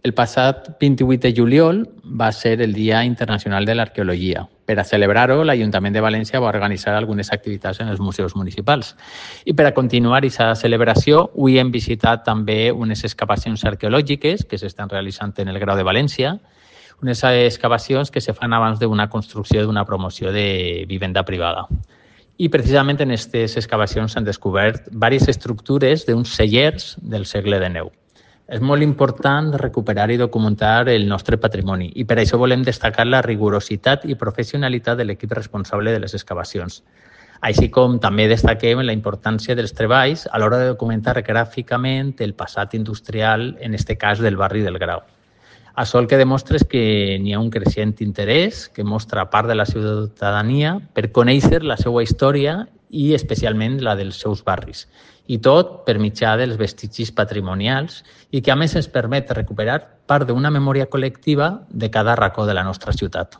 El passat 28 de juliol va ser el Dia Internacional de l'Arqueologia. Per a celebrar-ho, l'Ajuntament de València va organitzar algunes activitats en els museus municipals. I per a continuar aquesta celebració, avui hem visitat també unes excavacions arqueològiques que s'estan realitzant en el Grau de València, unes excavacions que se fan abans d'una construcció d'una promoció de vivenda privada. I precisament en aquestes excavacions s'han descobert diverses estructures d'uns cellers del segle XIX. És molt important recuperar i documentar el nostre patrimoni i per això volem destacar la rigorositat i professionalitat de l'equip responsable de les excavacions. Així com també destaquem la importància dels treballs a l'hora de documentar gràficament el passat industrial, en aquest cas del barri del Grau. Això el que demostra és que n'hi ha un creixent interès que mostra part de la ciutadania per conèixer la seva història i especialment la dels seus barris. I tot per mitjà dels vestigis patrimonials i que a més ens permet recuperar part d'una memòria col·lectiva de cada racó de la nostra ciutat.